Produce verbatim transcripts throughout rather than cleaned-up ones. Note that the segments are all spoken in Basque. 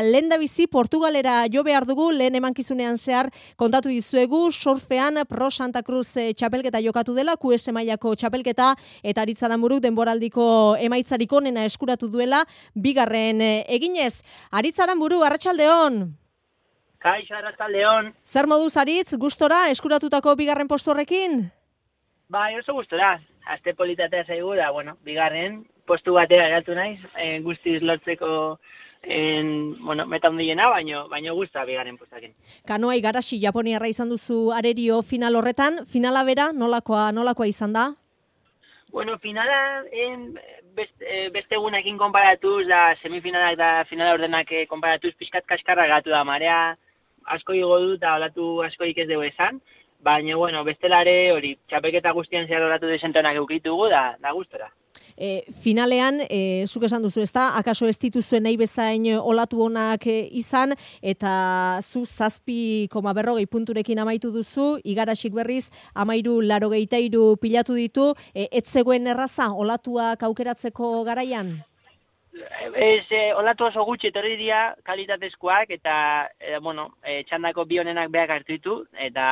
Lehendabizi Portugalera jo behar dugu, lehen emankizunean zehar kontatu dizuegu, surfean Pro Santa Cruz txapelketa jokatu dela, Q S mailako txapelketa, eta Aritzaranburuk denboraldiko emaitzarik onena eskuratu duela, bigarren eginez. Aritzaranburu, arratsaldeon. Kaixo, arratsaldeon. Zer moduz Aritz, gustora eskuratutako bigarren postu horrekin? Bai, oso gustora. Aste politatea zaigu da, bueno, bigarren postu batera geratu naiz, eh, guztiz lortzeko en, bueno, meta handiena, baino, baino gusta bigarren postakin. Kanoa igarazi Japoniarra izan duzu arerio final horretan, finala bera nolakoa, nolakoa izan da? Bueno, finala en, beste, beste egunekin konparatuz, da semifinalak da finala ordenak konparatuz, pixkat kaskarra gatu da, marea asko igo du eta olatu askoik ez dugu esan, baina, bueno, bestelare hori, txapelketa guztian zehar olatu desentonak eukitugu, da, da gustora. E, finalean, e, zuk esan duzu, ezta? Akaso ez dituzuen nahi bezain olatu honak e, izan, eta zu zazpi koma berrogei punturekin amaitu duzu, igarasik berriz, amairu larogeita hiru pilatu ditu, e, ez zegoen erraza olatuak aukeratzeko garaian? Ez, e, olatu oso gutxi etorri dira kalitatezkoak, eta, e, bueno, e, txandako bi honenak beak hartu ditu, eta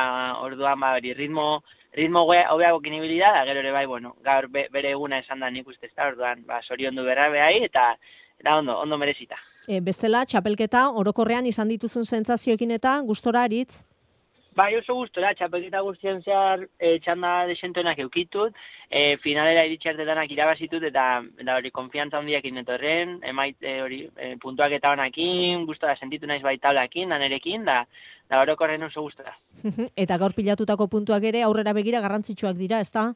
orduan, ba, hori, ritmo, ritmo hobeago kinibilidad, da gero ere bai, bueno, gaur be, bere eguna esan da nik uste ez da, orduan, ba, soriondu berra behai, eta, eta ondo, ondo merezita. E, bestela, txapelketa, orokorrean izan dituzun sentsazioekin eta gustora Aritz? Bai, oso gustora, txapelketa guztien zehar e, txanda desentoenak eukitut, e, finalera iritxartetanak irabazitut, eta, eta hori, konfiantza handiakin etorren, emait, e, hori, e, puntuak eta honakin, gustora sentitu naiz bai tablakin, danerekin, da, da orokorren oso gustora. Eta gaur pilatutako puntuak ere aurrera begira garrantzitsuak dira, ezta?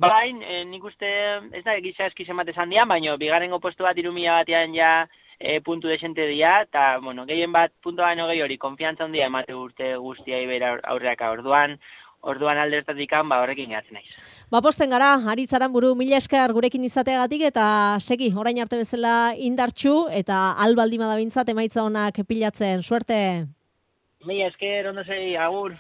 Bai, e, nik uste, ez da, giza eskiz emate esan dian, baina bigarrengo postu bat irumila batean ja, E, puntu desente dira, eta, bueno, gehien bat puntu baino gehi hori, konfiantza handia emate urte guztiai bera aurreaka orduan, orduan aldertatikan, ba, horrekin gehatzen naiz. Ba, posten gara, Aritzaranburu, mila esker gurekin izateagatik, eta segi, orain arte bezala indartxu, eta albaldima da bintzat emaitza honak pilatzen, suerte! Mila esker, ondo segi, agur!